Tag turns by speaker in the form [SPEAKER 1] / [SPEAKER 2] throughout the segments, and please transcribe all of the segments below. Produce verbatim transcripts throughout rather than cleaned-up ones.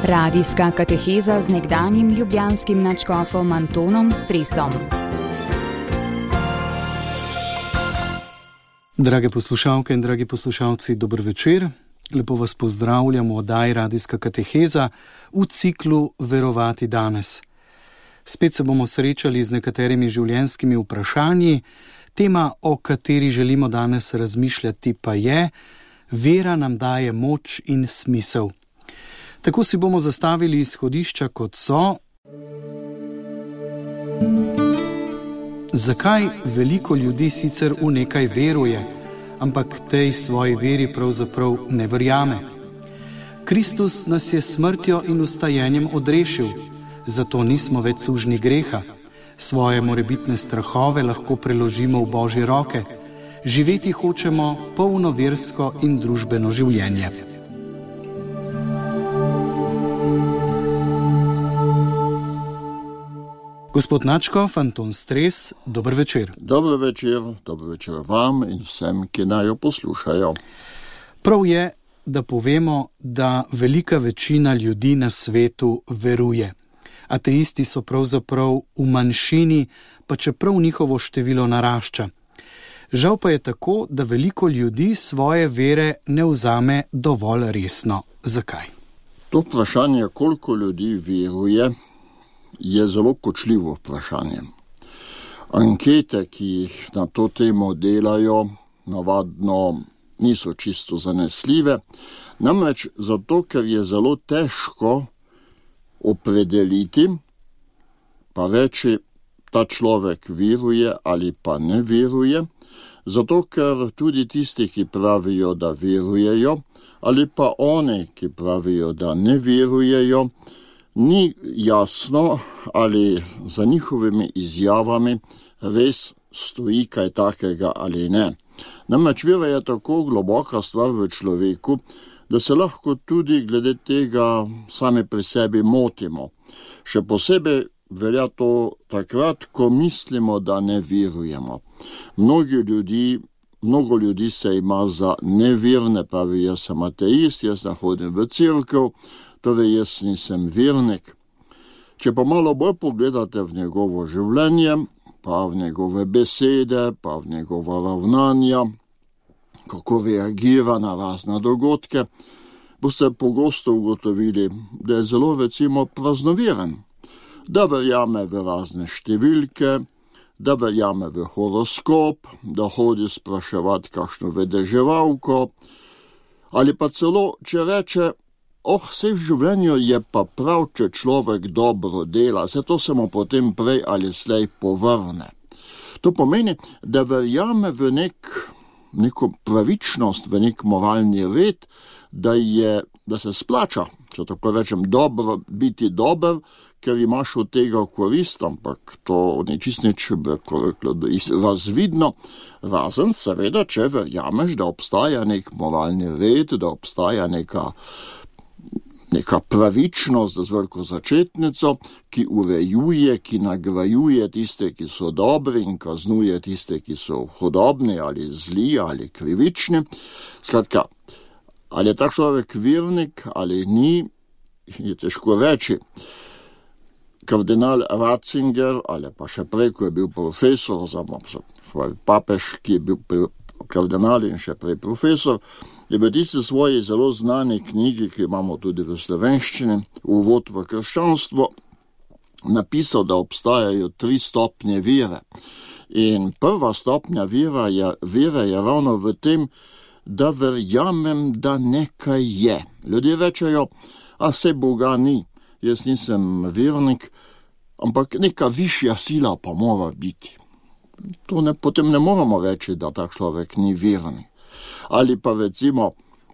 [SPEAKER 1] Radijska kateheza z nekdanjim ljubljanskim nadškofom Antonom Stresom.
[SPEAKER 2] Drage poslušalke in dragi poslušalci, dober večer. Lepo vas pozdravljam v oddaji Radijska kateheza v ciklu Verovati danes. Spet se bomo srečali z nekaterimi življenjskimi vprašanji. Tema, o kateri želimo danes razmišljati, pa je: vera nam daje moč in smisel. Tako si bomo zastavili izhodišča, kot so: zakaj veliko ljudi sicer v nekaj veruje, ampak tej svoji veri pravzaprav ne verjame? Kristus nas je smrtjo in vstajenjem odrešil, zato nismo več sužnji greha. Svoje morebitne strahove lahko preložimo v Božje roke. Živeti hočemo polno versko in družbeno življenje. Gospod nadškof Anton Stres, dober večer.
[SPEAKER 3] Dober večer, dober večer vam in vsem, ki naj jo poslušajo.
[SPEAKER 2] Prav je, da povemo, da velika večina ljudi na svetu veruje. Ateisti so pravzaprav v manjšini, pa čeprav njihovo število narašča. Žal pa je tako, da veliko ljudi svoje vere ne vzame dovolj resno. Zakaj?
[SPEAKER 3] To vprašanje, koliko ljudi veruje, je zelo kočljivo vprašanje. Ankete, ki jih na to temo delajo, navadno niso čisto zanesljive, namreč zato, ker je zelo težko opredeliti, pa reči, ta človek veruje ali pa ne veruje, zato ker tudi tisti, ki pravijo, da verujejo, ali pa oni, ki pravijo, da ne verujejo, ni jasno, ali za njihovimi izjavami res stoji kaj takega ali ne. Namreč vera je tako globoka stvar v človeku, da se lahko tudi glede tega sami pri sebi motimo. Še posebej velja to takrat, ko mislimo, da ne verujemo. Mnogi ljudi, mnogo ljudi se ima za neverne, pravi, jaz sem ateist, jaz ne hodim v cerkev, torej jaz nisem vernik. Če pa malo bolj pogledate v njegovo življenje, pa v njegove besede, pa v njegova ravnanja, kako reagira na razne dogodke, boste pogosto ugotovili, da je zelo recimo praznoveren, da verjame v razne številke, da verjame v horoskop, da hodi spraševati kakšno vedeževalko, ali pa celo, če reče: oh, vse v življenju je pa prav, če človek dobro dela, se to se mu potem prej ali slej povrne. To pomeni, da verjame v nek, neko pravičnost, v nek moralni red, da, je, da se splača, če tako rečem, dobro, biti dober, ker imaš od tega korist, ampak to ni čist nič razvidno, razen seveda, če verjameš, da obstaja nek moralni red, da obstaja neka neka pravičnost z veliko začetnico, ki urejuje, ki nagrajuje tiste, ki so dobri in kaznuje tiste, ki so hudobni ali zli ali krivični. Skratka, ali je tak človek vernik ali ni, je težko reči. Kardinal Ratzinger, ali pa še prej, ko je bil profesor, oziroma papež, ki je bil kardinal in še prej profesor, je v tisti svoji zelo znani knjigi, ki imamo tudi v slovenščini, Uvod v krščanstvo, napisal, da obstajajo tri stopnje vere. In prva stopnja vere je, vere je ravno v tem, da verjamem, da nekaj je. Ljudje rečejo: a se Boga ni, jaz nisem vernik, ampak neka višja sila pa mora biti. To ne, potem ne moramo reči, da tak človek ni vernik. Ali pa recimo,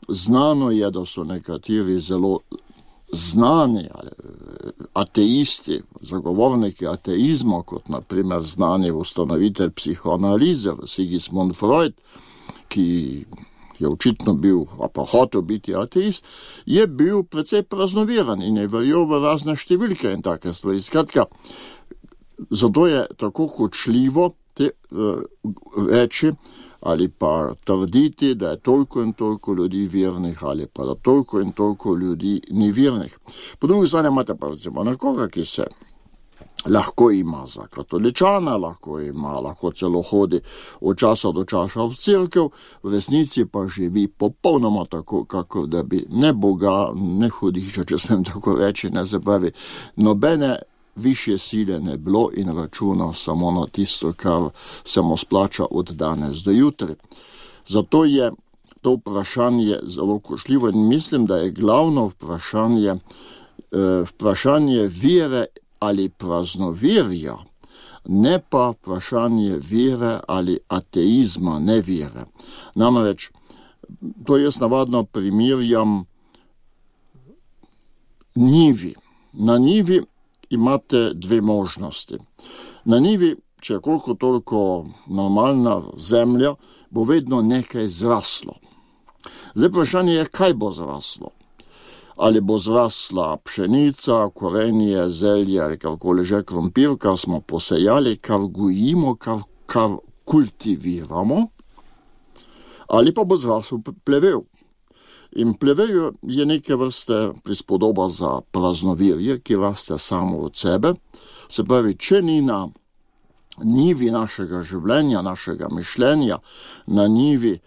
[SPEAKER 3] znano je, da so nekateri zelo znani ateisti, zagovorniki ateizma, kot na primer znani ustanovitelj psihoanalize Sigmund Freud, ki je očitno bil, a pa hotel biti ateist, je bil precej praznoviran in je verjel v razne številke in take stvari. Skratka, zato je tako kočljivo te, uh, reči, ali pa trditi, da je toliko in toliko ljudi vernih, ali pa da toliko in toliko ljudi ni vernih. Po drugi strani imate pa recimo nekoga, ki se lahko ima za katoličana, lahko ima, lahko celo hodi od časa do časa v cerkev, v resnici pa živi popolnoma tako, kako da bi ne Boga, ne hudiča, če smem tako reči, ne se pravi, nobene više sile ne bilo in računa samo na tisto, kar se mu splača od danes do jutri. Zato je to vprašanje zelo košljivo in mislim, da je glavno vprašanje, eh, vprašanje vere ali praznoverja, ne pa vprašanje vere ali ateizma, ne vere. Namreč, to jaz navadno primerjam njivi. Na njivi imate dve možnosti. Na njivi, če je koliko toliko normalna zemlja, bo vedno nekaj zraslo. Zdaj vprašanje je, kaj bo zraslo. Ali bo zrasla pšenica, korenje, zelje ali karkoli že krompir, kar smo posejali, kar gojimo, kar, kar kultiviramo, ali pa bo zrasel plevel. In plevel je neke vrste prispodoba za praznovirje, ki raste samo od sebe. Se pravi, če ni na njivi našega življenja, našega mišljenja, na njivi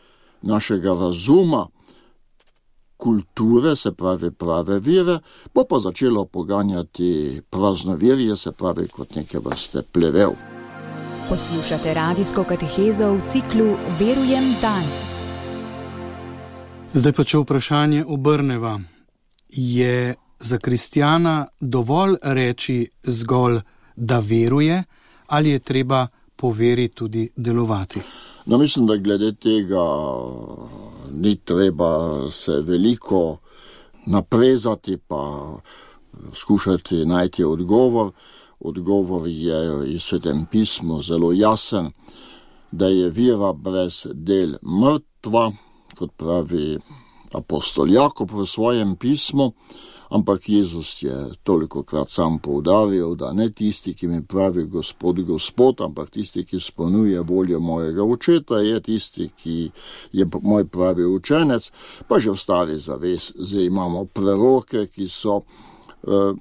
[SPEAKER 3] našega razuma, kulture, se pravi prave vere, bo pa začelo poganjati praznovirje, se pravi kot neke vrste plevel.
[SPEAKER 1] Poslušate radijsko katehezo v ciklu Verujem danes.
[SPEAKER 2] Zdaj pa če vprašanje obrneva. Je za kristjana dovolj reči zgolj, da veruje, ali je treba po veri tudi delovati?
[SPEAKER 3] No, mislim, da glede tega ni treba se veliko naprezati pa skušati najti odgovor. Odgovor je iz Svetem pismu zelo jasen, da je vera brez del mrtva, kot pravi apostol Jakob v svojem pismu, ampak Jezus je tolikokrat sam poudaril, da ne tisti, ki mi pravi Gospod, Gospod, ampak tisti, ki izpolnjuje voljo mojega očeta, je tisti, ki je moj pravi učenec. Pa že v stari zavezi imamo preroke, ki so eh,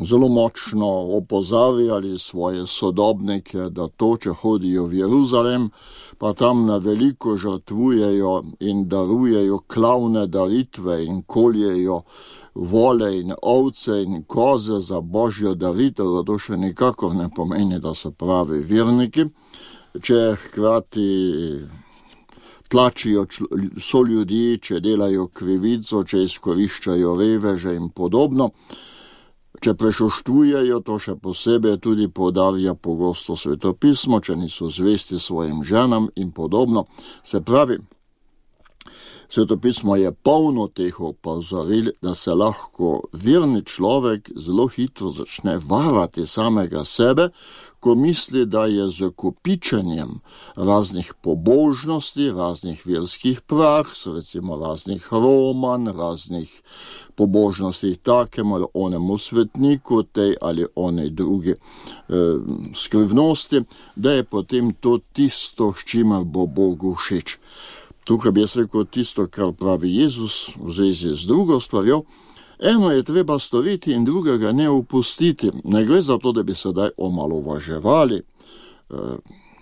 [SPEAKER 3] zelo močno opozarjali svoje sodobnike, da to, če hodijo v Jeruzalem, pa tam na veliko žrtvujejo in darujejo klavne daritve in koljejo vole in ovce in koze za božjo daritev, da to še nikakor ne pomeni, da so pravi verniki. Če hkrati tlačijo so ljudi, če delajo krivico, če izkoriščajo reveže in podobno, če prešoštvujejo, to še posebej tudi poudarja pogosto Sveto pismo, če niso zvesti svojim ženam in podobno. Se pravi, Sveto pismo je polno teh opozoril, da se lahko verni človek zelo hitro začne varati samega sebe, ko misli, da je z kopičenjem raznih pobožnosti, raznih verskih praks, recimo raznih roman, raznih pobožnosti takemu ali onemu svetniku, tej ali onej drugi eh, skrivnosti, da je potem to tisto, s čimer bo Bogu všeč. Tukaj bi jaz rekel tisto, kar pravi Jezus v zvezi z drugo stvarjo. Eno je treba storiti in drugega ne upustiti. Ne gre za to, da bi sedaj omalovaževali eh,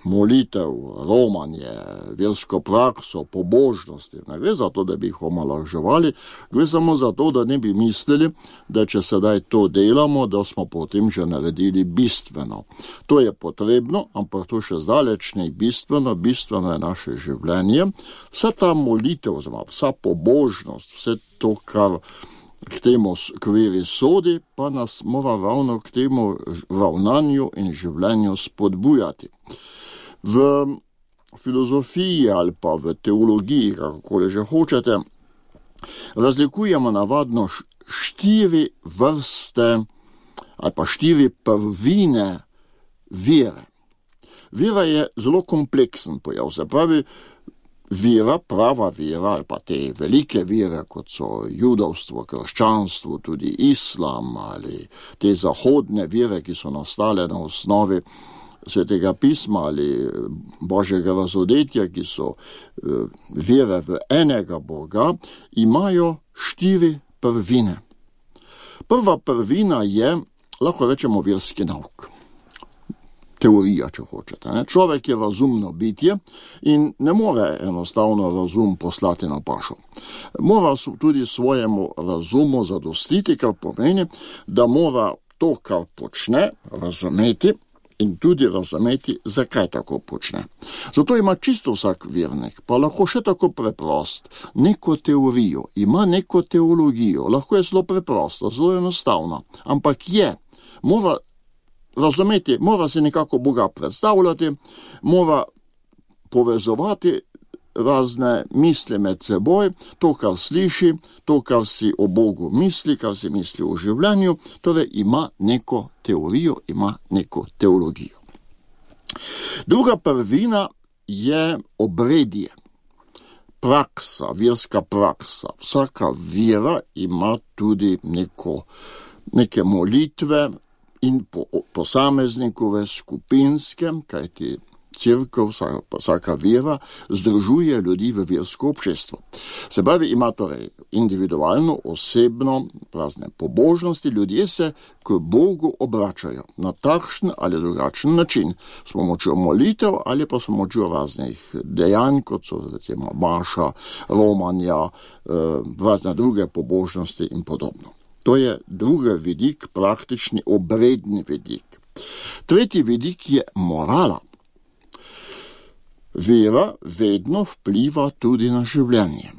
[SPEAKER 3] molitev, romanje, versko prakso, pobožnosti. Ne gre za to, da bi jih omalovaževali, gre samo za to, da ne bi mislili, da če sedaj to delamo, da smo potem že naredili bistveno. To je potrebno, ampak to še zdaleč ne bistveno, bistveno je naše življenje. Vsa ta molitev, vsa pobožnost, vse to, kar k temu kveri sodi, pa nas mora ravno k temu ravnanju in življenju spodbujati. V filozofiji ali pa v teologiji, kakokoli že hočete, razlikujemo navadno štiri vrste ali pa štiri prvine vere. Vera je zelo kompleksen pojav, se pravi, vera, prava vera ali pa te velike vere, kot so judovstvo, krščanstvo, tudi islam ali te zahodne vere, ki so nastale na osnovi Svetega pisma ali Božjega razodetja, ki so vere v enega Boga, imajo štiri prvine. Prva prvina je, lahko rečemo, verski nauk. Teorija, če hočete. Ne? Človek je razumno bitje in ne more enostavno razum poslati na pašo. Mora tudi svojemu razumu zadostiti, kar pomeni, da mora to, kar počne, razumeti in tudi razumeti, zakaj tako počne. Zato ima čisto vsak vernik, pa lahko še tako preprost, neko teorijo, ima neko teologijo, lahko je zelo preprosta, zelo enostavna, ampak je, mora razumeti, mora se nekako Boga predstavljati, mora povezovati razne misli med seboj, to, kar sliši, to, kar si o Bogu misli, kar si misli o življenju, torej ima neko teorijo, ima neko teologijo. Druga prvina je obredje, praksa, verska praksa. Vsaka vera ima tudi neko, neke molitve in po, posameznikove skupinske, kajti Cerkev, vsaka vera, združuje ljudi v versko občestvo. Se pravi, ima torej individualno, osebno, razne pobožnosti, ljudje se k Bogu obračajo na takšen ali drugačen način, s pomočjo molitev ali pa s pomočjo raznih dejanj, kot so recimo maša, romanja, razne druge pobožnosti in podobno. To je drugi vidik, praktični obredni vidik. Tretji vidik je morala. Vera vedno vpliva tudi na življenje.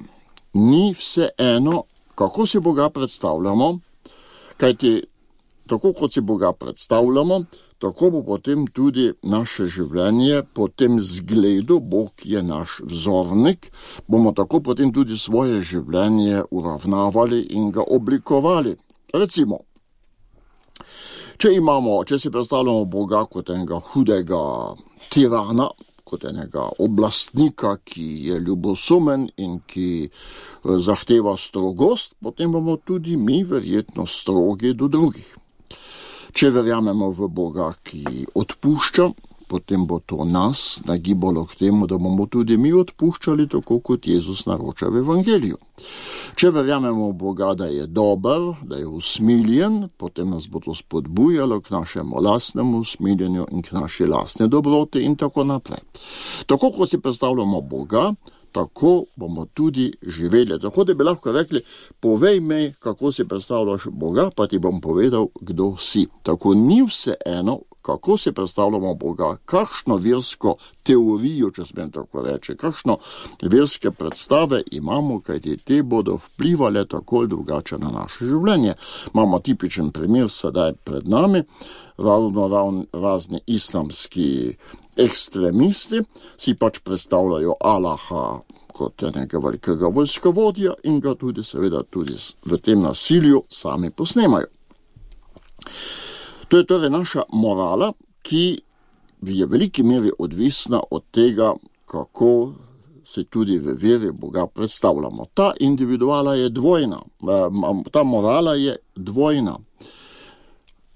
[SPEAKER 3] Ni vse eno, kako si Boga predstavljamo, kajti tako kot si Boga predstavljamo, tako bo potem tudi naše življenje po tem zgledu, Bog je naš vzornik, bomo tako potem tudi svoje življenje uravnavali in ga oblikovali. Recimo, če imamo, če si predstavljamo Boga kot enega hudega tirana, kot enega oblastnika, ki je ljubosumen in ki zahteva strogost, potem bomo tudi mi verjetno strogi do drugih. Če verjamemo v Boga, ki odpušča, potem bo to nas nagibalo k temu, da bomo tudi mi odpuščali, tako kot Jezus naroča v Evangeliju. Če verjamemo v Boga, da je dober, da je usmiljen, potem nas bo to spodbujalo k našemu lastnemu usmiljenju in k naši lastne dobroti in tako naprej. Tako kot si predstavljamo Boga, tako bomo tudi živeli. Tako da bi lahko rekli, povej mi, kako si predstavljaš Boga, pa ti bom povedal, kdo si. Tako ni vse eno, kako si predstavljamo Boga, kakšno versko teorijo, če smem tako reči, kakšno verske predstave imamo, kajti te bodo vplivale tako ali drugače na naše življenje. Imamo tipičen primer sedaj pred nami, ravno ravno razni islamski ekstremisti si pač predstavljajo Allaha kot enega velikega vojskovodja in ga tudi seveda tudi v tem nasilju sami posnemajo. To je torej naša morala, ki je v veliki meri odvisna od tega, kako se tudi v veri Boga predstavljamo. Ta individuala je dvojna, ta morala je dvojna.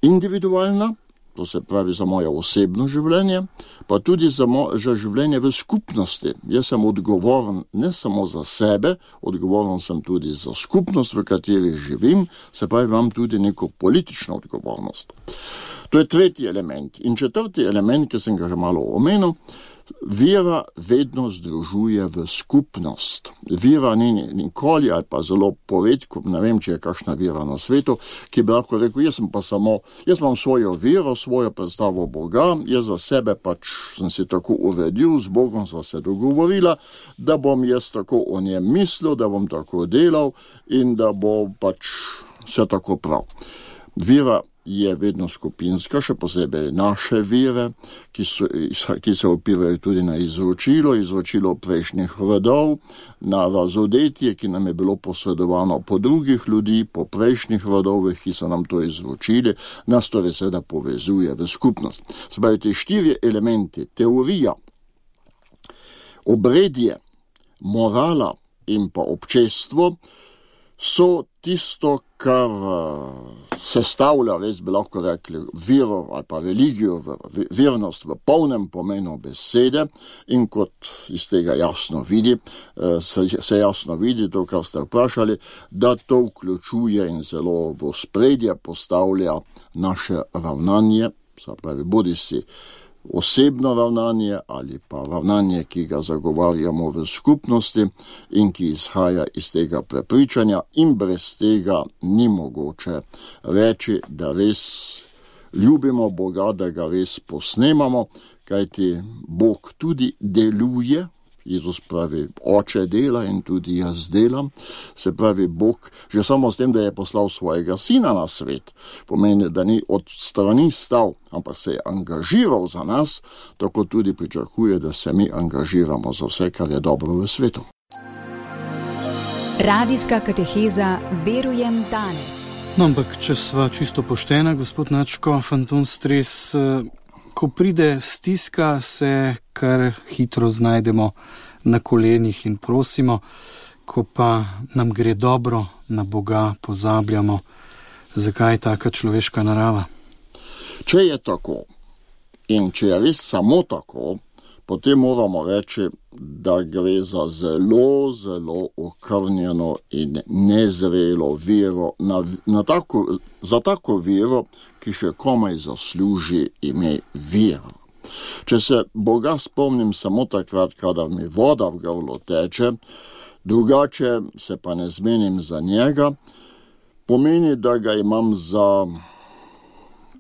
[SPEAKER 3] Individualna, to se pravi za moje osebno življenje, pa tudi za, mo- za življenje v skupnosti. Jaz sem odgovoren ne samo za sebe, odgovoren sem tudi za skupnost, v kateri živim, se pravi, imam tudi neko politično odgovornost. To je tretji element. In četrti element, ki sem ga že malo omenil, vera vedno združuje v skupnost. Vera ni nikoli ali pa zelo poredko, ne vem, če je kakšna vera na svetu, ki bi lahko rekel, jaz sem pa samo, jaz imam svojo vero, svojo predstavo Boga, jaz za sebe pač sem si tako uredil, z Bogom sva se dogovorila, da bom jaz tako o njem mislil, da bom tako delal in da bo pač vse tako prav. Vera je vedno skupinska, še posebej naše vere, ki, so, ki se opirajo tudi na izročilo, izročilo prejšnjih rodov, na razodetje, ki nam je bilo posredovano po drugih ljudi, po prejšnjih rodovih, ki so nam to izročili, nas torej seveda povezuje v skupnost. Se pravi, te štiri elementi, teorija, obredje, morala in pa občestvo, so tisto, kar sestavlja, res bi lahko rekli, vero ali pa religijo, vernost v polnem pomenu besede, in kot iz tega jasno vidi, se, se jasno vidi to, kar ste vprašali, da to vključuje in zelo v ospredje postavlja naše ravnanje, se pravi, bodi si osebno ravnanje ali pa ravnanje, ki ga zagovarjamo v skupnosti in ki izhaja iz tega prepričanja, in brez tega ni mogoče reči, da res ljubimo Boga, da ga res posnemamo, kajti Bog tudi deluje. Jezus pravi, oče dela in tudi jaz delam. Se pravi, Bog že samo s tem, da je poslal svojega sina na svet, pomeni, da ni od strani stal, ampak se je angažiral za nas, tako tudi pričakuje, da se mi angažiramo za vse, kar je dobro v svetu.
[SPEAKER 1] Radijska kateheza Verujem danes.
[SPEAKER 2] No, ampak če sva čisto poštena, gospod Načko, Anton Stres, ko pride stiska, se kar hitro znajdemo na kolenih in prosimo, ko pa nam gre dobro, na Boga pozabljamo. Zakaj je taka človeška narava?
[SPEAKER 3] Če je tako in če je res samo tako, potem moramo reči, da gre za zelo, zelo okrnjeno in nezrelo vero, na, na tako, za tako vero, ki še komaj zasluži ime vera. Če se Boga spomnim samo takrat, kadar mi voda v grlo teče, drugače se pa ne zmenim za njega, pomeni, da ga imam za,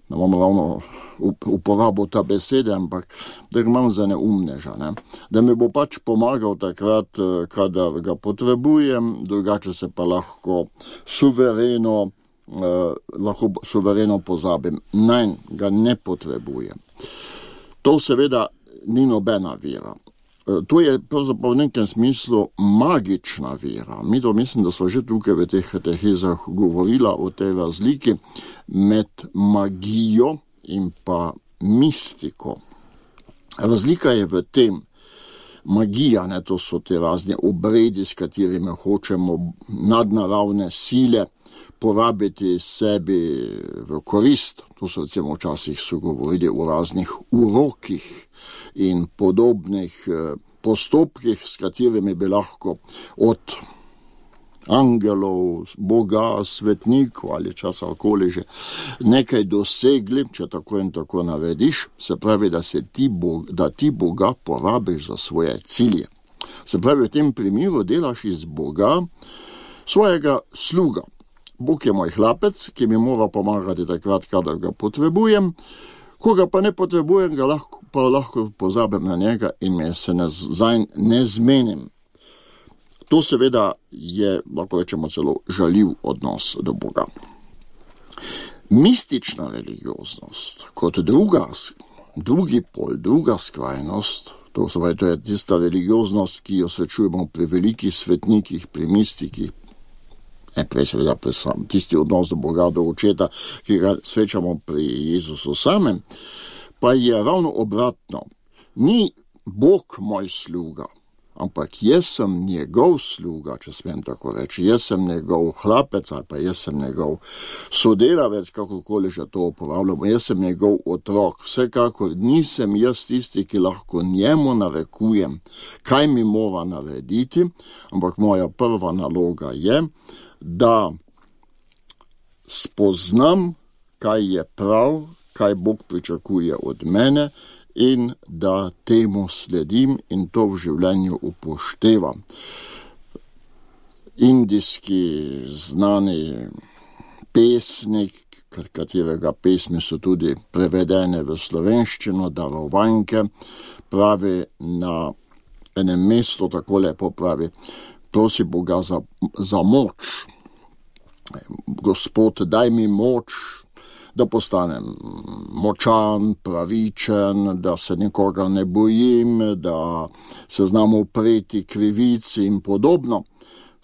[SPEAKER 3] ne bom ravno uporabo ta besede, ampak da ga imam za neumneža, ne? Da mi bo pač pomagal takrat, kadar ga potrebujem, drugače se pa lahko suvereno, eh, lahko suvereno pozabim. Nein, ga ne potrebujem. To seveda ni nobena vera. To je pravzaprav v nekem smislu magična vera. Mi to mislim, da smo že tukaj v teh katehezah govorila o tej razliki med magijo in pa mistiko. Razlika je v tem, magija, ne, to so te razne obredi, s katerimi hočemo nadnaravne sile porabiti sebi v korist. To so recimo včasih so govorili o raznih urokih in podobnih postopkih, s katerimi bi lahko od angelov, Boga, svetnikov ali časarkoli že nekaj dosegli, če tako in tako narediš, se pravi, da, se ti, Bog, da ti Boga porabiš za svoje cilje. Se pravi, v tem primeru delaš iz Boga svojega sluga. Bog je moj hlapec, ki mi mora pomagati takrat, kadar ga potrebujem, ko ga pa ne potrebujem, ga lahko, pa lahko pozabim na njega in me se ne, zanj ne zmenim. To seveda je, lahko rečemo, celo žaljiv odnos do Boga. Mistična religioznost, kot druga, drugi pol, druga skrajnost, to, seveda, to je tista religioznost, ki jo srečujemo pri velikih svetnikih, pri mistikih, ne prej seveda pri sam, tisti odnos do Boga, do očeta, ki ga srečamo pri Jezusu samem, pa je ravno obratno. Ni Bog moj sluga, ampak jaz sem njegov sluga, če smem tako reči, jaz sem njegov hlapec ali pa jaz sem njegov sodelavec, kakorkoli že to uporabljamo, jaz sem njegov otrok. Vsekakor nisem jaz tisti, ki lahko njemu narekujem, kaj mi mora narediti, ampak moja prva naloga je, da spoznam, kaj je prav, kaj Bog pričakuje od mene, in da temu sledim in to v življenju upoštevam. Indijski znani pesnik, katerega pesmi so tudi prevedene v slovenščino, Darovanke, pravi na enem mestu, tako lepo pravi, prosi Boga za, za moč. Gospod, daj mi moč, da postanem močan, pravičen, da se nikoga ne bojim, da se znam upreti krivici in podobno.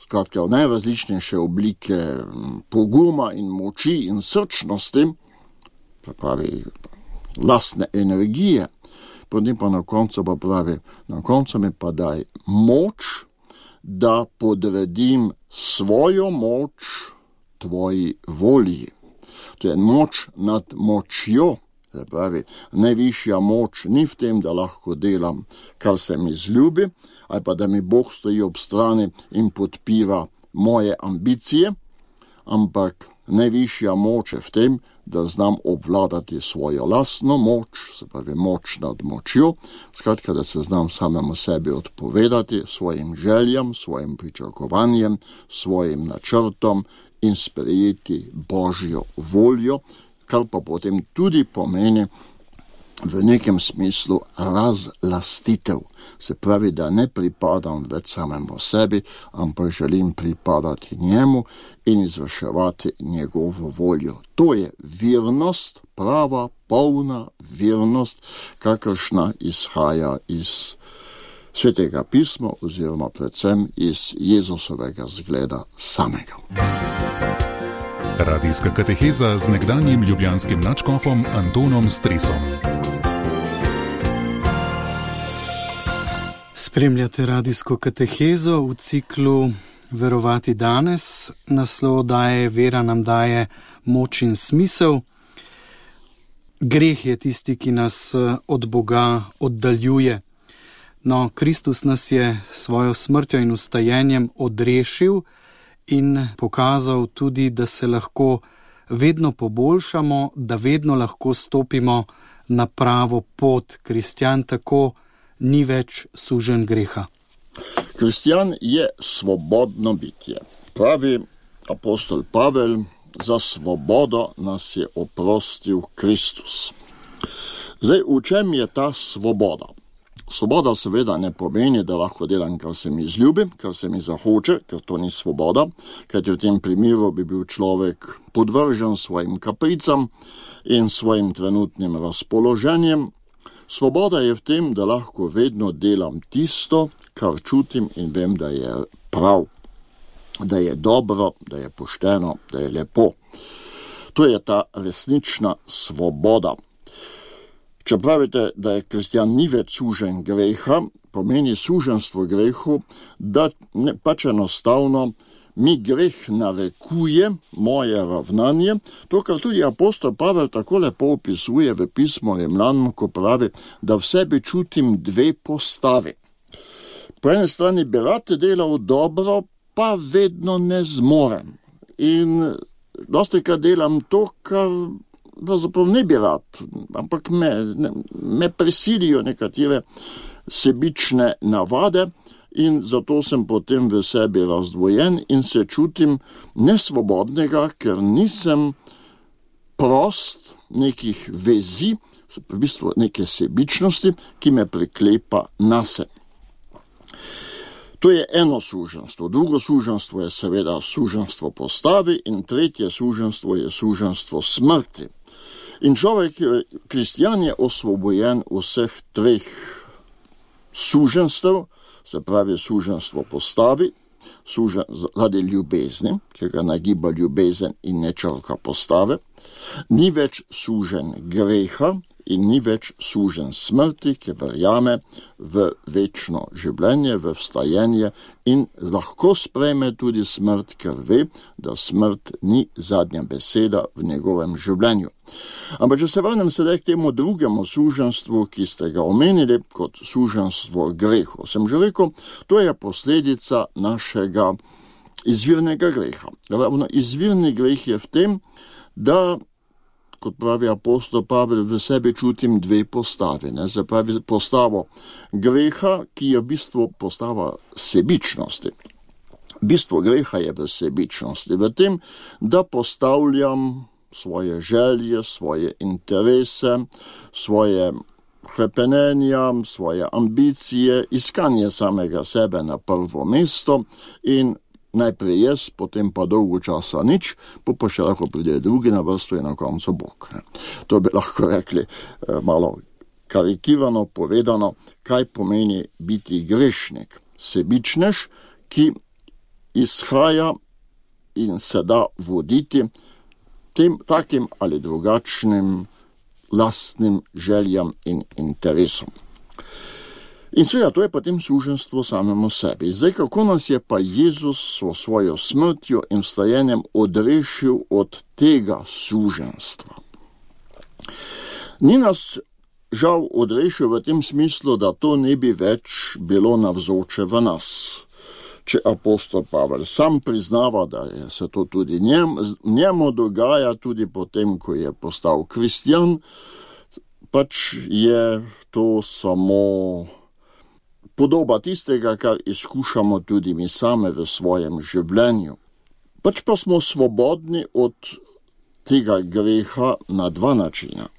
[SPEAKER 3] Skratka, v najrazličnejše oblike poguma in moči in srčnosti, pravi lastne energije, potem pa na koncu pa pravi, na koncu mi pa daj moč, da podredim svojo moč tvoji volji. To je moč nad močjo. Se pravi, najvišja moč ni v tem, da lahko delam, kar se mi zljubi, ali pa da mi Bog stoji ob strani in podpira moje ambicije, ampak najvišja moč je v tem, da znam obvladati svojo lastno moč, se pravi moč nad močjo, skratka, da se znam samemu sebi odpovedati, svojim željam, svojim pričakovanjem, svojim načrtom in sprejeti Božjo voljo, kar pa potem tudi pomeni v nekem smislu razlastitev. Se pravi, da ne pripadam več samemu sebi, ampak želim pripadati njemu in izvrševati njegovo voljo. To je vernost, prava, polna vernost, kakršna izhaja iz Svetega pisma oziroma predvsem iz Jezusovega zgleda samega.
[SPEAKER 4] Radijska kateheza z nekdanjim ljubljanskim nadškofom Antonom Stresom.
[SPEAKER 2] Spremljate radijsko katehezo v ciklu Verovati danes. Naslov daje Vera nam daje moč in smisel. Greh je tisti, ki nas od Boga oddaljuje. No, Kristus nas je svojo smrtjo in vstajenjem odrešil in pokazal tudi, da se lahko vedno poboljšamo, da vedno lahko stopimo na pravo pot. Kristjan tako ni več suženj greha.
[SPEAKER 3] Kristjan je svobodno bitje. Pravi apostol Pavel, za svobodo nas je oprostil Kristus. Zdaj, v čem je ta svoboda? Svoboda seveda ne pomeni, da lahko delam, kar se mi zljubi, kar se mi zahoče, ker to ni svoboda, kajti v tem primeru bi bil človek podvržen svojim kapricam in svojim trenutnim razpoloženjem. Svoboda je v tem, da lahko vedno delam tisto, kar čutim in vem, da je prav, da je dobro, da je pošteno, da je lepo. To je ta resnična svoboda. Če pravite, da je kristjan ni več suženj greha, pomeni suženstvo grehu, da ne, pač enostavno mi greh narekuje moje ravnanje, to, kar tudi apostol Pavel tako lepo opisuje v pismu Rimljanom, ko pravi, da v sebi čutim dve postavi. Po eni strani bi rad delal dobro, pa vedno ne zmorem. In dostikrat delam to, kar pravzaprav ne bi rad, ampak me, ne, me prisilijo nekatere sebične navade in zato sem potem v sebi razdvojen in se čutim nesvobodnega, ker nisem prost nekih vezi, v bistvu neke sebičnosti, ki me priklepa nase. To je eno suženstvo. Drugo suženstvo je seveda suženstvo postavi in tretje suženstvo je suženstvo smrti. In človek, kristjan je osvobojen vseh treh suženstv, se pravi suženstvo postavi, sužen zaradi ljubezni, ki ga nagiba ljubezen in ne črka postave, ni več sužen greha in ni več sužen smrti, ki verjame v večno življenje, v vstajenje in lahko sprejme tudi smrt, ker ve, da smrt ni zadnja beseda v njegovem življenju. Ampak če se vrnem sedaj k temu drugemu suženstvu, ki ste ga omenili kot suženstvo grehu, sem že rekel, to je posledica našega izvirnega greha. Ravno izvirni greh je v tem, da, kot pravi apostol Pavel, v sebi čutim dve postavi. Ne? Se pravi postavo greha, ki je v bistvu postava sebičnosti. Bistvo greha je v sebičnosti, v tem, da postavljam svoje želje, svoje interese, svoje hrepenenja, svoje ambicije, iskanje samega sebe na prvo mesto in najprej jaz, potem pa dolgo časa nič, pa pa še lahko pride drugi na vrsto in na koncu Bog. To bi lahko rekli malo karikirano povedano, kaj pomeni biti grešnik. Sebičnež, ki izhaja in se da voditi tem takim ali drugačnim lastnim željam in interesom. In seveda, to je potem suženstvo samemu sebi. Zdaj, kako nas je pa Jezus s svojo smrtjo in vstajenjem odrešil od tega suženstva? Ni nas žal odrešil v tem smislu, da to ne bi več bilo navzoče v nas. Če apostol Pavel sam priznava, da je se to tudi njem, njemu dogaja tudi potem, ko je postal kristjan, pač je to samo podoba tistega, kar izkušamo tudi mi same v svojem življenju. Pač pa smo svobodni od tega greha na dva načina.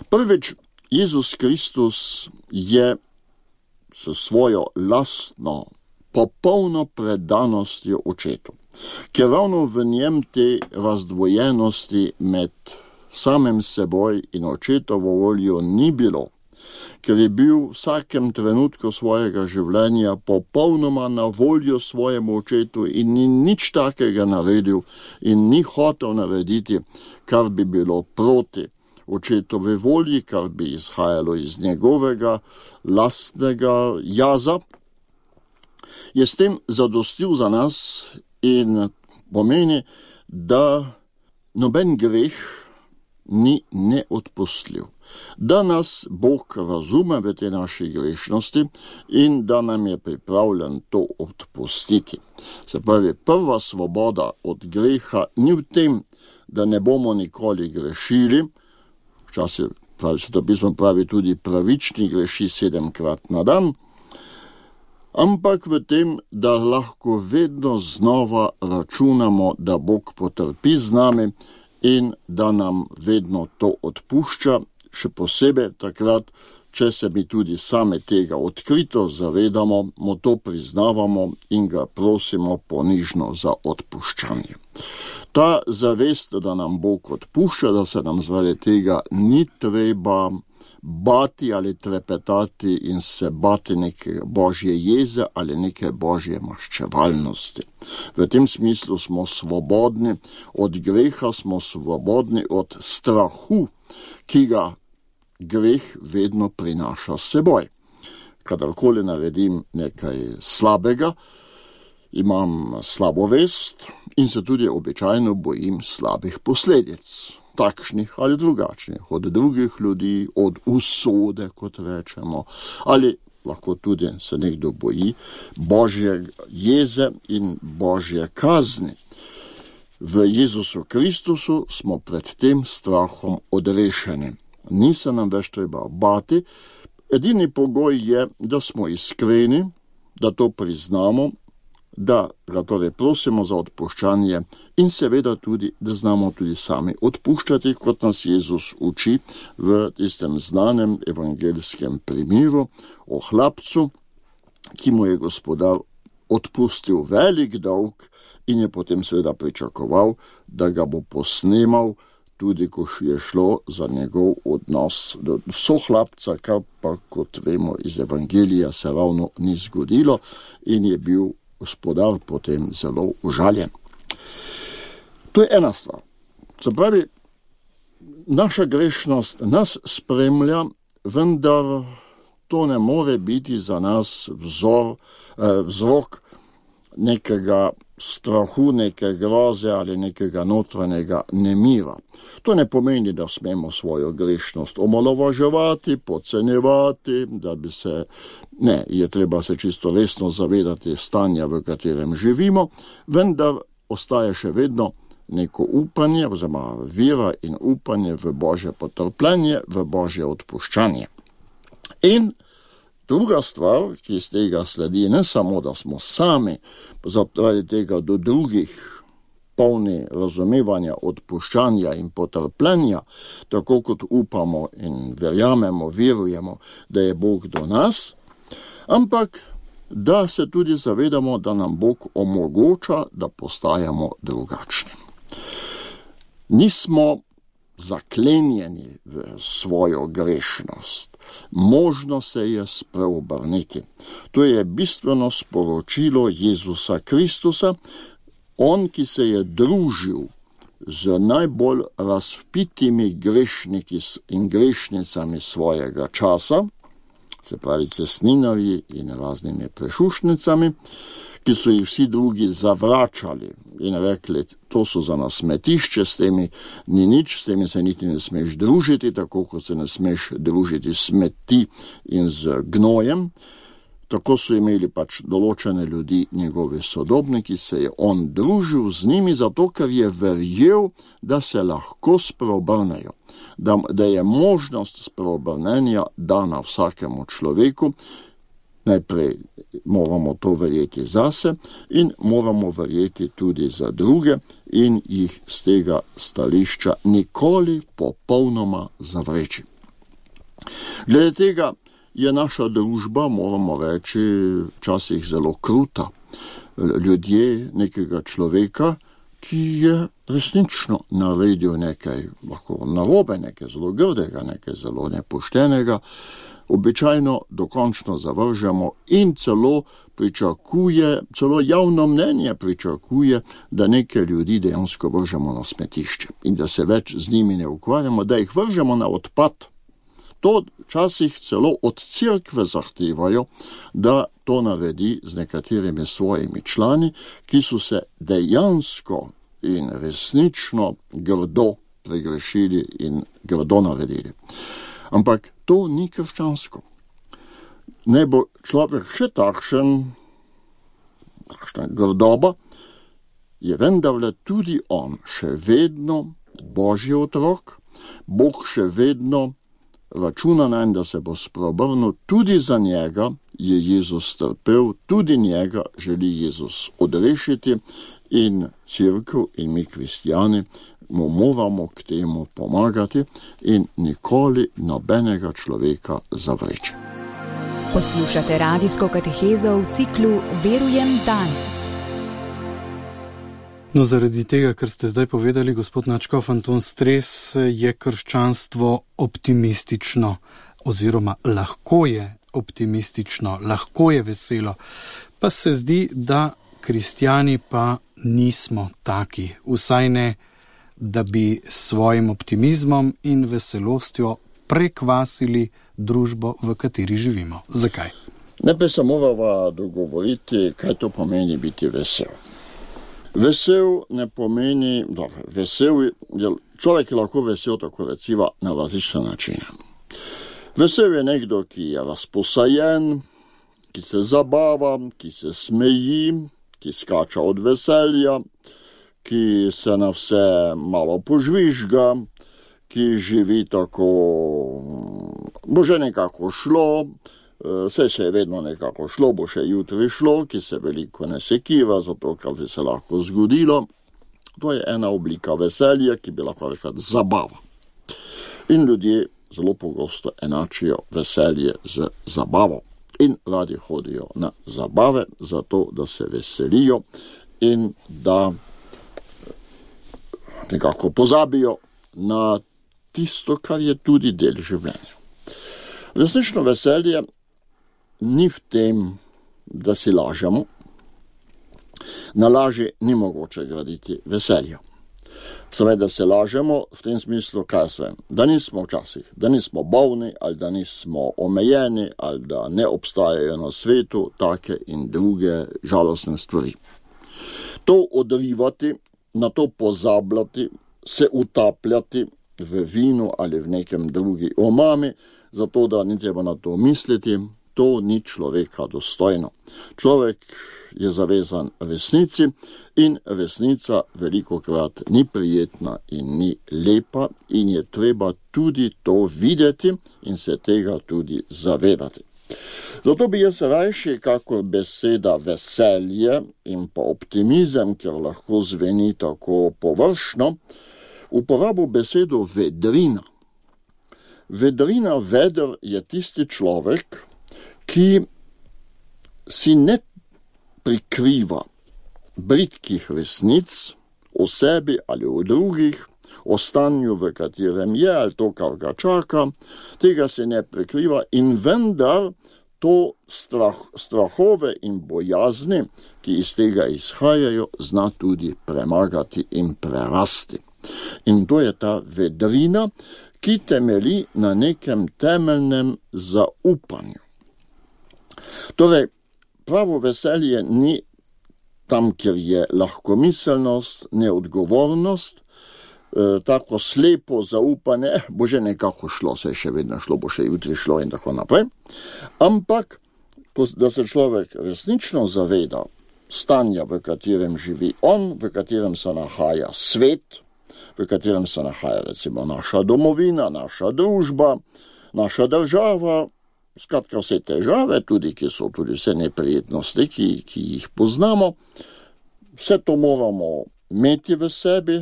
[SPEAKER 3] Prvič, Jezus Kristus je s svojo lastno, popolno predanostjo očetu, ker ravno v njem te razdvojenosti med samim seboj in očetovo voljo ni bilo, ker je bil v vsakem trenutku svojega življenja popolnoma na voljo svojemu očetu in ni nič takega naredil in ni hotel narediti, kar bi bilo proti očetove volji, kar bi izhajalo iz njegovega lastnega jaza, je s tem zadostil za nas in pomeni, da noben greh ni neodpustljiv, da nas Bog razume v te naši grešnosti in da nam je pripravljen to odpustiti. Se pravi, prva svoboda od greha ni v tem, da ne bomo nikoli grešili, včasih pravi, svetopismo pravi tudi pravični greši sedemkrat na dan, ampak v tem, da lahko vedno znova računamo, da Bog potrpi z nami in da nam vedno to odpušča, še posebej takrat, če se mi tudi same tega odkrito zavedamo, mu to priznavamo in ga prosimo ponižno za odpuščanje. Ta zavest, da nam Bog odpušča, da se nam zaradi tega ni treba bati ali trepetati in se bati neke božje jeze ali neke božje maščevalnosti. V tem smislu smo svobodni od greha, smo svobodni od strahu, ki ga greh vedno prinaša s seboj. Kadarkoli naredim nekaj slabega, imam slabo vest in se tudi običajno bojim slabih posledic, takšnih ali drugačnih, od drugih ljudi, od usode, kot rečemo, ali lahko tudi se nekdo boji božje jeze in božje kazni. V Jezusu Kristusu smo pred tem strahom odrešeni. Ni se nam več treba bati, edini pogoj je, da smo iskreni, da to priznamo, da ga torej prosimo za odpuščanje in seveda tudi, da znamo tudi sami odpuščati, kot nas Jezus uči v tistem znanem evangelijskem primeru o hlapcu, ki mu je gospodar odpustil velik dolg in je potem seveda pričakoval, da ga bo posnemal, tudi ko je šlo za njegov odnos do sohlapca, kar pa, kot vemo iz evangelija, se ravno ni zgodilo in je bil gospodar potem zelo užaljen. To je ena stvar. Se pravi, naša grešnost nas spremlja, vendar to ne more biti za nas vzor, eh, vzrok nekega strahu, neke groze ali nekega notranjega nemira. To ne pomeni, da smemo svojo grešnost omalovaževati, podcenjevati, da bi se, ne, je treba se čisto resno zavedati stanja, v katerem živimo, vendar ostaje še vedno neko upanje, oziroma vera in upanje v Božje potrpljenje, v Božje odpuščanje. In druga stvar, ki iz tega sledi, ne samo, da smo sami zaradi tega do drugih polni razumevanja, odpuščanja in potrpljenja, tako kot upamo in verjamemo, verujemo, da je Bog do nas, ampak da se tudi zavedamo, da nam Bog omogoča, da postajamo drugačni. Nismo zaklenjeni v svojo grešnost. Možno se je spreobrniti. To je bistveno sporočilo Jezusa Kristusa, on, ki se je družil z najbolj razvpitimi grešniki in grešnicami svojega časa, se pravi cestninarji in raznimi prešušnicami, ki so jih vsi drugi zavračali in rekli, to so za nas smetišče, s temi ni nič, s temi se niti ne smeš družiti, tako kot se ne smeš družiti smeti in z gnojem. Tako so imeli pač določene ljudi, njegovi sodobniki, se je on družil z njimi, zato ker je verjel, da se lahko spreobrnejo, da, da je možnost spreobrnenja dana vsakemu človeku. Najprej moramo to verjeti zase in moramo verjeti tudi za druge in jih z tega stališča nikoli popolnoma zavreči. Glede tega je naša družba, moramo reči, včasih zelo kruta. Ljudje nekega človeka, ki je resnično naredil nekaj lahko narobe, nekaj zelo grdega, nekaj zelo nepoštenega, običajno dokončno zavržemo in celo pričakuje, celo javno mnenje pričakuje, da neke ljudi dejansko vržemo na smetišče in da se več z njimi ne ukvarjamo, da jih vržemo na odpad. To včasih celo od cerkve zahtevajo, da to naredi z nekaterimi svojimi člani, ki so se dejansko in resnično grdo pregrešili in grdo naredili. Ampak to ni krščansko. Ne bo človek še takšen, takšna grdoba, je vendarle tudi on še vedno Božji otrok, Bog še vedno računa nanj, da se bo spreobrnil, tudi za njega je Jezus trpel, tudi njega želi Jezus odrešiti in cerkev in mi kristjani mu moramo k temu pomagati in nikoli nobenega človeka zavreči.
[SPEAKER 1] Poslušate radijsko katehezo v ciklu Verujem danes.
[SPEAKER 2] No, zaradi tega, kar ste zdaj povedali, gospod nadškof Anton Stres, je krščanstvo optimistično oziroma lahko je optimistično, lahko je veselo. Pa se zdi, da kristjani pa nismo taki, vsaj ne, da bi s svojim optimizmom in veselostjo prekvasili družbo, v kateri živimo. Zakaj?
[SPEAKER 3] Najprej se moramo dogovoriti, kaj to pomeni biti vesel. Vesel ne pomeni, dobro, vesel je, človek je lahko vesel, tako recimo, na različne načine. Vesel je nekdo, ki je razposajen, ki se zabava, ki se smeji, ki skača od veselja, ki se na vse malo požvižga, ki živi tako, bo že nekako šlo, vse se je vedno nekako šlo, bo še jutri šlo, ki se veliko ne sekira, zato kar bi se lahko zgodilo. To je ena oblika veselja, ki bi lahko rekla zabava. In ljudje zelo pogosto enačijo veselje z zabavo. In radi hodijo na zabave, zato da se veselijo in da nekako pozabijo na tisto, kar je tudi del življenja. Resnično veselje ni v tem, da si lažemo. Na laži ni mogoče graditi veselja. Seveda se lažemo v tem smislu, kaj svem, da nismo včasih, da nismo bolni, ali da nismo omejeni, ali da ne obstajajo na svetu take in druge žalostne stvari. To odrivati, na to pozabljati, se utapljati v vinu ali v nekem drugi omami, zato da ni treba na to misliti, to ni človeka dostojno. Človek je zavezan resnici in resnica velikokrat ni prijetna in ni lepa in je treba tudi to videti in se tega tudi zavedati. Zato bi jaz rajši, kakor beseda veselje in pa optimizem, ker lahko zveni tako površno, uporabil besedo vedrina. Vedrina, veder je tisti človek, ki si ne prikriva britkih resnic o sebi ali o drugih, o stanju, v katerem je, ali to, kar ga čaka, tega se ne prikriva in vendar to strah, strahove in bojazni, ki iz tega izhajajo, zna tudi premagati in prerasti. In to je ta vedrina, ki temelji na nekem temeljnem zaupanju. Torej, pravo veselje ni tam, kjer je lahkomiselnost, neodgovornost, e, tako slepo zaupanje, eh, bo že nekako šlo, se je še vedno šlo, bo še jutri šlo in tako naprej. Ampak, da se človek resnično zaveda stanja, v katerem živi on, v katerem se nahaja svet, v katerem se nahaja recimo naša domovina, naša družba, naša država, skratka vse težave, tudi, ki so tudi vse neprijetnosti, ki, ki jih poznamo, vse to moramo imeti v sebi,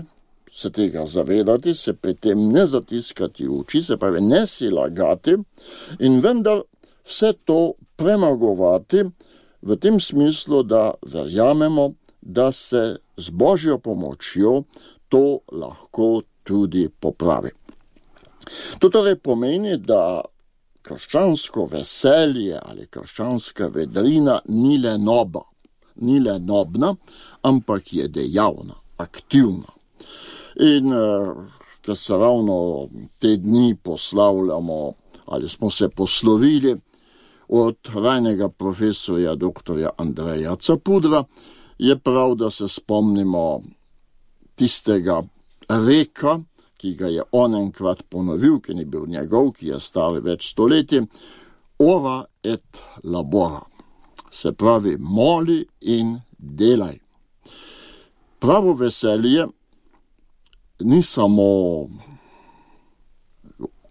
[SPEAKER 3] se tega zavedati, se pri tem ne zatiskati oči, se pravi ne si lagati in vendar vse to premagovati v tem smislu, da verjamemo, da se z Božjo pomočjo to lahko tudi popravi. To torej pomeni, da krščansko veselje ali krščanska vedrina ni le noba, ni le nobna, ampak je dejavna, aktivna. In ker se ravno te dni poslavljamo ali smo se poslovili od rajnega profesorja doktorja Andreja Capudra, je prav, da se spomnimo tistega reka, ki ga je on enkrat ponovil, ki ni bil njegov, ki je star več stoletij, ora et labora, se pravi moli in delaj. Pravo veselje ni samo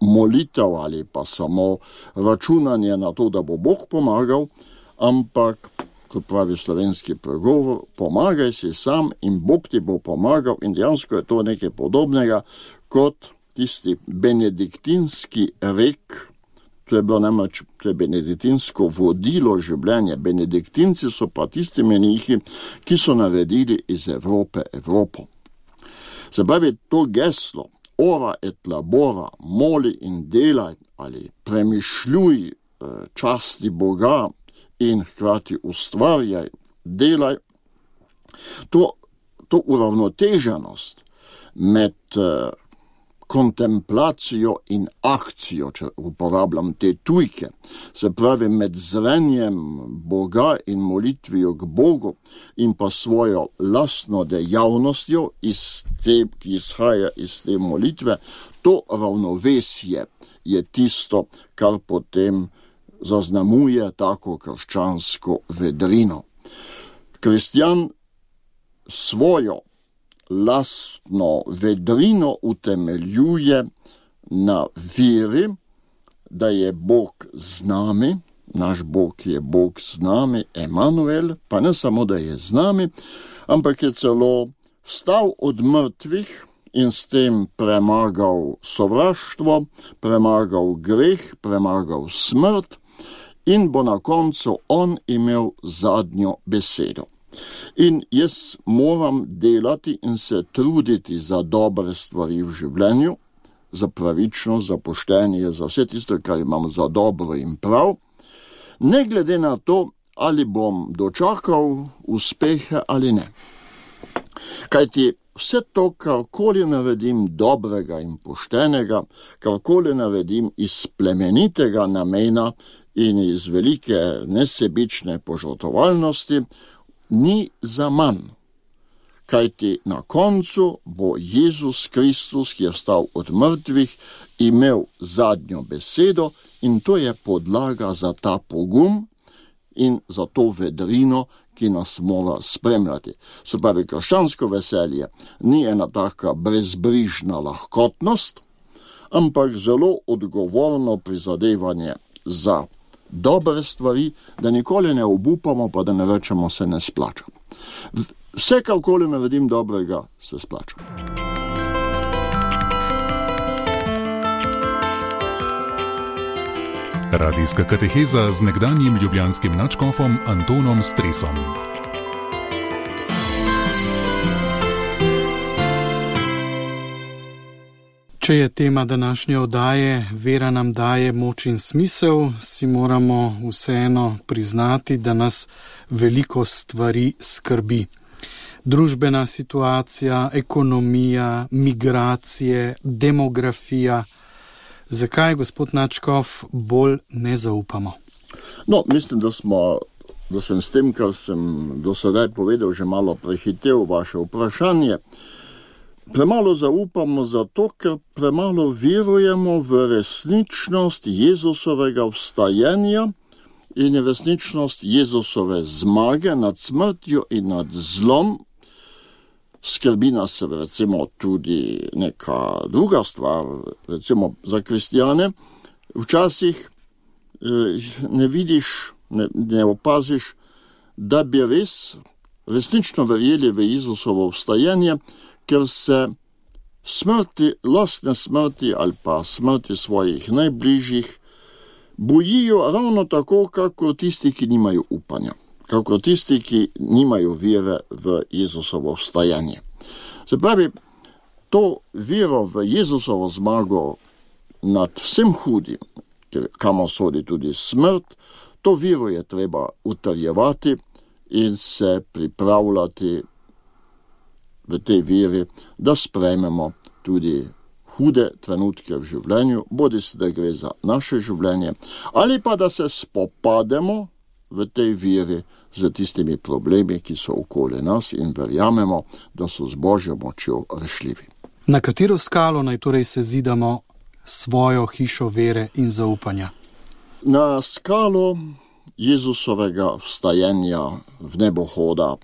[SPEAKER 3] molitev ali pa samo računanje na to, da bo Bog pomagal, ampak, kot pravi slovenski pregovor, pomagaj si sam in Bog ti bo pomagal, in dejansko je to nekaj podobnega kot tisti benediktinski rek. To je bilo namreč, to je benediktinsko vodilo življenja. Benediktinci so pa tisti menihi, ki so naredili iz Evrope Evropo. Se pravi, to geslo, ora et labora, moli in delaj, ali premišljuj, časti Boga in hkrati ustvarjaj, delaj, to, to uravnoteženost med kontemplacijo in akcijo, če uporabljam te tujke, se pravi med zrenjem Boga in molitvijo k Bogu in pa svojo lastno dejavnostjo, iz te, ki izhaja iz te molitve, to ravnovesje je tisto, kar potem zaznamuje tako krščansko vedrino. Kristjan svojo lastno vedrino utemeljuje na veri, da je Bog z nami, naš Bog je Bog z nami, Emanuel, pa ne samo, da je z nami, ampak je celo vstal od mrtvih in s tem premagal sovraštvo, premagal greh, premagal smrt in bo na koncu on imel zadnjo besedo. In jaz moram delati in se truditi za dobre stvari v življenju, za pravičnost, za poštenje, za vse tisto, kar imam za dobro in prav, ne glede na to, ali bom dočakal uspehe ali ne. Kajti vse to, karkoli naredim dobrega in poštenega, karkoli naredim iz plemenitega namena in iz velike nesebične požrtvovalnosti, ni za manj, kajti na koncu bo Jezus Kristus, ki je vstal od mrtvih, imel zadnjo besedo in to je podlaga za ta pogum in za to vedrino, ki nas mora spremljati. Se pravi, krščansko veselje ni ena taka brezbrižna lahkotnost, ampak zelo odgovorno prizadevanje za dobre stvari, da nikoli ne obupamo, pa da ne rečemo, se ne splača. Vse, karkoli naredim dobrega, se splača.
[SPEAKER 4] Radijska kateheza z nekdanjim ljubljanskim nadškofom Antonom Stresom.
[SPEAKER 2] Če je tema današnje oddaje Vera nam daje moč in smisel, si moramo vseeno priznati, da nas veliko stvari skrbi. Družbena situacija, ekonomija, migracije, demografija. Zakaj, gospod nadškof, bolj ne zaupamo?
[SPEAKER 3] No, mislim, da smo, da sem s tem, kar sem do sedaj povedal, že malo prehitel vaše vprašanje. Premalo zaupamo zato, ker premalo verujemo v resničnost Jezusovega vstajenja in resničnost Jezusove zmage nad smrtjo in nad zlom. Skrbi nas recimo tudi neka druga stvar, recimo za kristjane. Včasih ne vidiš, ne, ne opaziš, da bi res resnično verjeli v Jezusovo vstajenje, ker se smrti, lastne smrti ali pa smrti svojih najbližjih bojijo ravno tako, kako tisti, ki nimajo upanja, kako tisti, ki nimajo vere v Jezusovo vstajanje. Se pravi, to vero v Jezusovo zmago nad vsem hudim, kamor sodi tudi smrt, to vero je treba utrjevati in se pripravljati v tej veri, da sprejmemo tudi hude trenutke v življenju, bodisi da gre za naše življenje, ali pa da se spopademo v tej veri z tistimi problemi, ki so okoli nas in verjamemo, da so z Božjo močjo rešljivi.
[SPEAKER 2] Na katero skalo naj torej se zidamo svojo hišo vere in zaupanja?
[SPEAKER 3] Na skalo Jezusovega vstajenja v nebohoda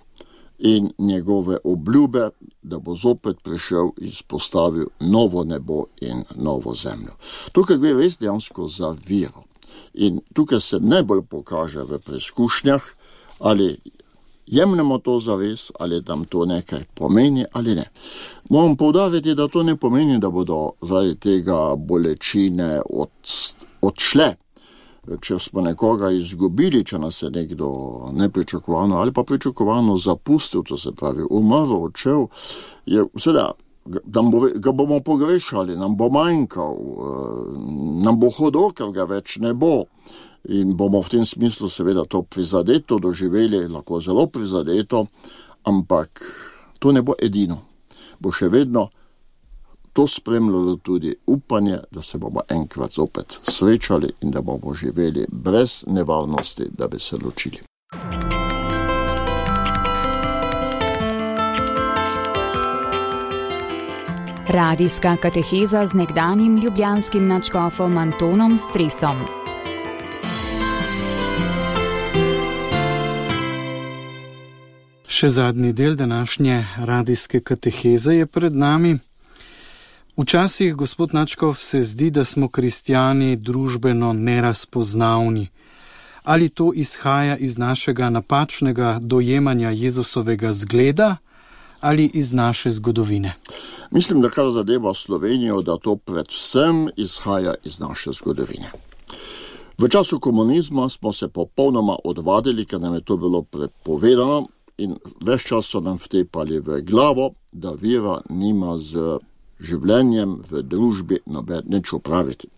[SPEAKER 3] in njegove obljube, da bo zopet prišel in spostavil novo nebo in novo zemljo. Tukaj gre res dejansko za vero. In tukaj se najbolj pokaže v preizkušnjah, ali jemljemo to zares, ali nam to nekaj pomeni ali ne. Moram poudariti, da to ne pomeni, da bodo zaradi tega bolečine od, odšle. Če smo nekoga izgubili, če nas je nekdo nepričakovano ali pa pričakovano zapustil, to se pravi umrl, odšel, je seveda, ga bomo pogrešali, nam bo manjkal, nam bo hudo, ker ga več ne bo. In bomo v tem smislu seveda to prizadeto doživeli, lahko zelo prizadeto, ampak to ne bo edino. Bo še vedno to spremljalo tudi upanje, da se bomo enkrat zopet srečali in da bomo živeli brez nevarnosti, da bi se ločili.
[SPEAKER 1] Radijska kateheza z nekdanjim ljubljanskim nadškofom Antonom Stresom.
[SPEAKER 2] Še zadnji del današnje radijske kateheze je pred nami. Včasih, gospod nadškof, se zdi, da smo kristjani družbeno nerazpoznavni. Ali to izhaja iz našega napačnega dojemanja Jezusovega zgleda ali iz naše zgodovine?
[SPEAKER 3] Mislim, da kar zadeva Slovenijo, da to predvsem izhaja iz naše zgodovine. V času komunizma smo se popolnoma odvadili, ker nam je to bilo prepovedano in ves čas so nam vtepali v glavo, da vera nima z življenjem v družbi noben nič opraviti.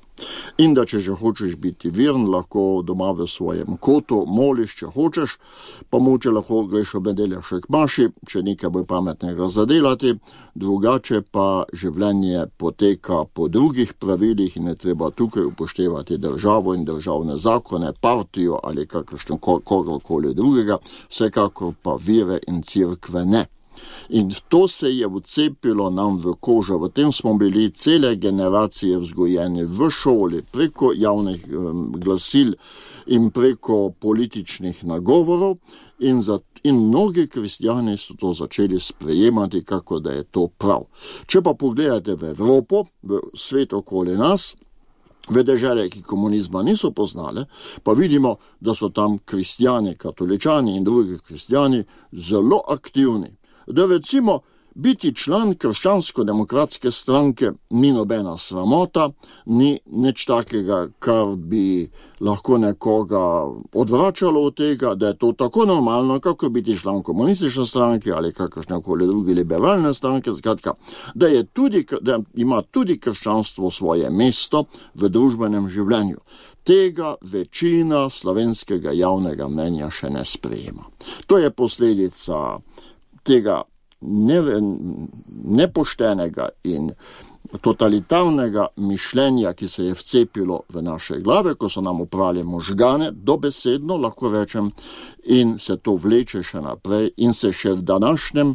[SPEAKER 3] In da če že hočeš biti veren, lahko doma v svojem kotu moliš, če hočeš, pa moče lahko greš ob nedeljah še k maši, če nekaj bo pametnega zadelati, drugače pa življenje poteka po drugih pravilih in je treba tukaj upoštevati državo in državne zakone, partijo ali kakršno kogarkoli drugega, vsekakor pa vere in cerkve ne. In to se je vcepilo nam v kožo, v tem smo bili cele generacije vzgojeni v šoli, preko javnih um, glasil in preko političnih nagovorov in, za, in mnogi kristjani so to začeli sprejemati, kako da je to prav. Če pa pogledate v Evropo, v svet okoli nas, v dežele, ki komunizma niso poznale, pa vidimo, da so tam kristjani, katoličani in drugi kristjani zelo aktivni. Da recimo biti član krščansko-demokratske stranke ni nobena sramota, ni nič takega, kar bi lahko nekoga odvračalo od tega, da je to tako normalno, kako biti član komunistične stranke ali kakršnekoli druge liberalne stranke, skratka, da, je tudi, da ima tudi krščanstvo svoje mesto v družbenem življenju. Tega večina slovenskega javnega mnenja še ne sprejema. To je posledica tega ne, nepoštenega in totalitarnega mišljenja, ki se je vcepilo v naše glave, ko so nam upravili možgane, dobesedno, lahko rečem, in se to vleče še naprej in se še v današnjem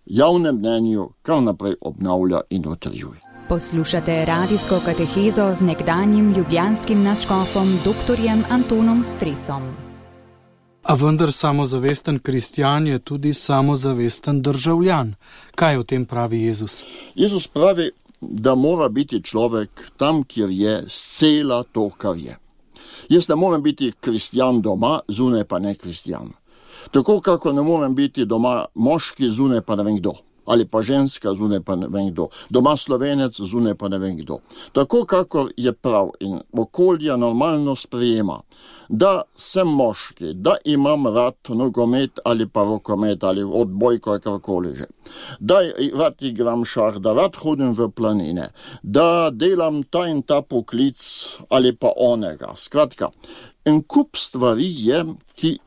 [SPEAKER 3] javnem mnenju kar naprej obnavlja in utrjuje.
[SPEAKER 1] Poslušate radijsko katehezo z nekdanjim ljubljanskim nadškofom doktorjem Antonom Stresom.
[SPEAKER 2] A vendar samozavesten kristjan je tudi samozavesten državljan. Kaj o tem pravi Jezus?
[SPEAKER 3] Jezus pravi, da mora biti človek tam, kjer je, scela to, kar je. Jaz ne morem biti kristjan doma, zunaj pa ne kristjan. Tako kako ne morem biti doma moški, zunaj pa ne vem kdo. Ali pa ženska, zunaj pa ne vem kdo. Doma Slovenec, zunaj pa ne vem kdo. Tako kako je prav in okolje normalno sprejema, da sem moški, da imam rad nogomet ali pa rokomet ali odbojko, karkoli že. Da rad igram šah, da rad hodim v planine, da delam ta in ta poklic ali pa onega. Skratka, en kup stvari je, ki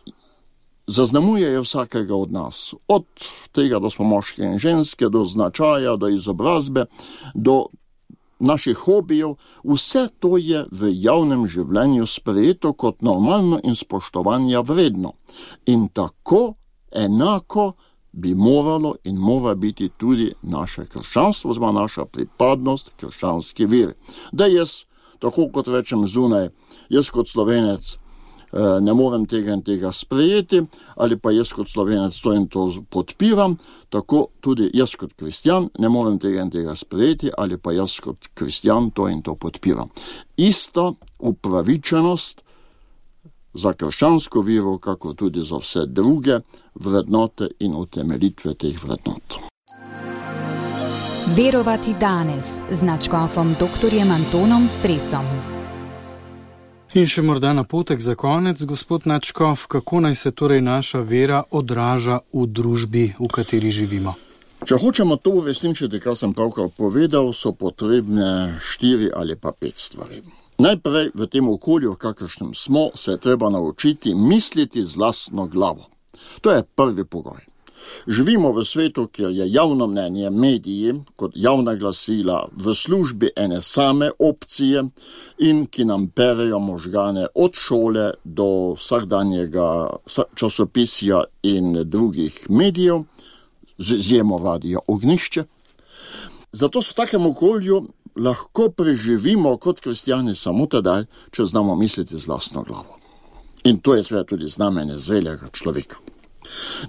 [SPEAKER 3] zaznamujejo vsakega od nas. Od tega, da smo moški in ženske, do značaja, do izobrazbe, do naših hobijev. Vse to je v javnem življenju sprejeto kot normalno in spoštovanja vredno. In tako enako bi moralo in mora biti tudi naše krščanstvo, oziroma naša pripadnost krščanski veri. Da jaz, tako kot rečem zunaj, jaz kot Slovenec ne morem tega in tega sprejeti, ali pa jaz kot Slovenec to in to podpiram, tako tudi jaz kot kristjan ne morem tega in tega sprejeti, ali pa jaz kot kristjan to in to podpiram. Ista upravičenost za krščansko vero, kako tudi za vse druge vrednote in utemeljitve teh vrednot.
[SPEAKER 1] Verovati danes z nadškofom doktorjem Antonom Stresom.
[SPEAKER 2] In še morda napotek za konec, gospod nadškof, kako naj se torej naša vera odraža v družbi, v kateri živimo?
[SPEAKER 3] Če hočemo to uresničiti, kar sem pravkar povedal, so potrebne štiri ali pa pet stvari. Najprej v tem okolju, v kakršnem smo, se je treba naučiti misliti z lastno glavo. To je prvi pogoj. Živimo v svetu, kjer je javno mnenje, mediji kot javna glasila v službi ene same opcije in ki nam perejo možgane od šole do vsakdanjega časopisja in drugih medijev, z izjemo Radia Ognjišče. Zato v takem okolju lahko preživimo kot kristjani samo tedaj, če znamo misliti z lastno glavo. In to je seveda tudi znamenje zrelega človeka.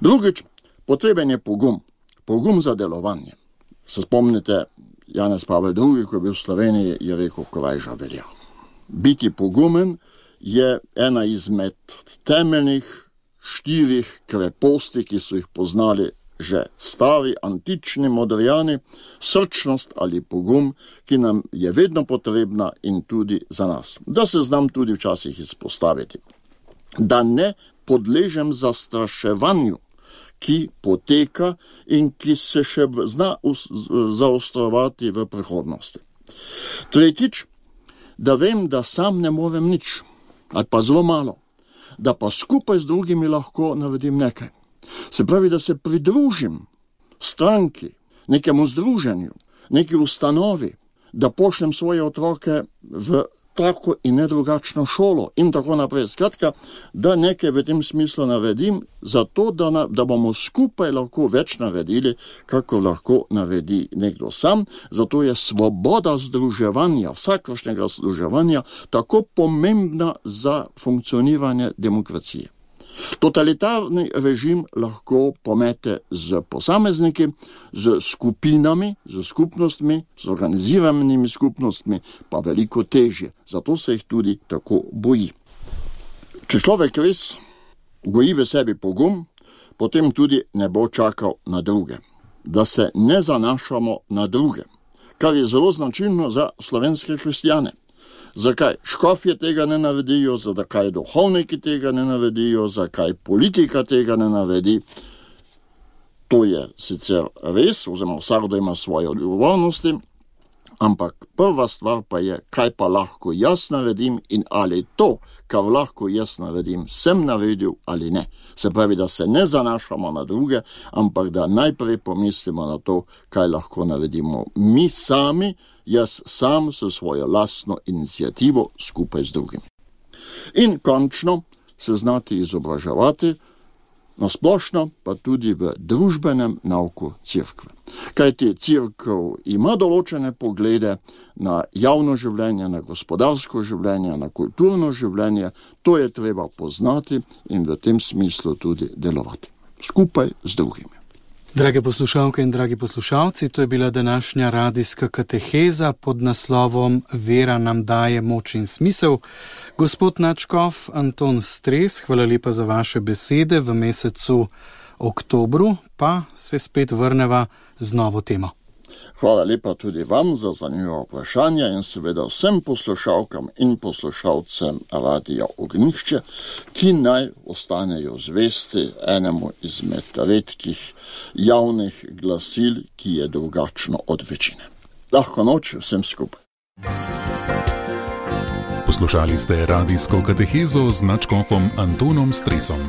[SPEAKER 3] Drugič, potreben je pogum, pogum za delovanje. Se spomnite, Janez Pavel drugi, ko je bil v Sloveniji, je rekel, korajža velja. Biti pogumen je ena izmed temeljnih štirih kreposti, ki so jih poznali že stari, antični Modrijani, srčnost ali pogum, ki nam je vedno potrebna in tudi za nas. Da se znam tudi včasih izpostaviti. Da ne podležem zastraševanju, ki poteka in ki se še zna zaostrovati v prihodnosti. Tretjič, da vem, da sam ne morem nič, ali pa zelo malo, da pa skupaj z drugimi lahko naredim nekaj. Se pravi, da se pridružim stranki, nekemu združenju, neki ustanovi, da pošljem svoje otroke v tako in ne drugačno šolo in tako naprej. Skratka, da nekaj v tem smislu naredim, zato da, na, da bomo skupaj lahko več naredili, kako lahko naredi nekdo sam. Zato je svoboda združevanja, vsakršnega združevanja, tako pomembna za funkcioniranje demokracije. Totalitarni režim lahko pomete z posamezniki, z skupinami, z skupnostmi, z organiziranimi skupnostmi, pa veliko težje. Zato se jih tudi tako boji. Če človek res goji v sebi pogum, potem tudi ne bo čakal na druge. Da se ne zanašamo na druge, kar je zelo značilno za slovenske kristjane. Zakaj škofje tega ne naredijo, zakaj duhovniki tega ne naredijo, zakaj politika tega ne naredi. To je sicer res, oziroma vsakdo ima svoje odgovornosti, Ampak prva stvar pa je, kaj pa lahko jaz naredim in ali to, kar lahko jaz naredim, sem naredil ali ne. Se pravi, da se ne zanašamo na druge, ampak da najprej pomislimo na to, kaj lahko naredimo mi sami, jaz sam s svojo lastno inicijativo skupaj z drugimi. In končno se znati izobraževati, nasplošno pa tudi v družbenem nauku cerkve. Kajti cerkev ima določene poglede na javno življenje, na gospodarsko življenje, na kulturno življenje, to je treba poznati in v tem smislu tudi delovati. Skupaj z drugimi.
[SPEAKER 2] Drage poslušalke in dragi poslušalci, to je bila današnja radijska kateheza pod naslovom Vera nam daje moč in smisel. Gospod nadškof Anton Stres, hvala lepa za vaše besede. V mesecu oktobru pa se spet vrneva z novo temo.
[SPEAKER 3] Hvala lepa tudi vam za zanimivo vprašanje in seveda vsem poslušalkam in poslušalcem Radija Ognjišče, ki naj ostanejo zvesti enemu izmed redkih javnih glasil, ki je drugačno od večine. Lahko noč vsem skupaj.
[SPEAKER 4] Poslušali ste radijsko katehezo z nadškofom Antonom Stresom.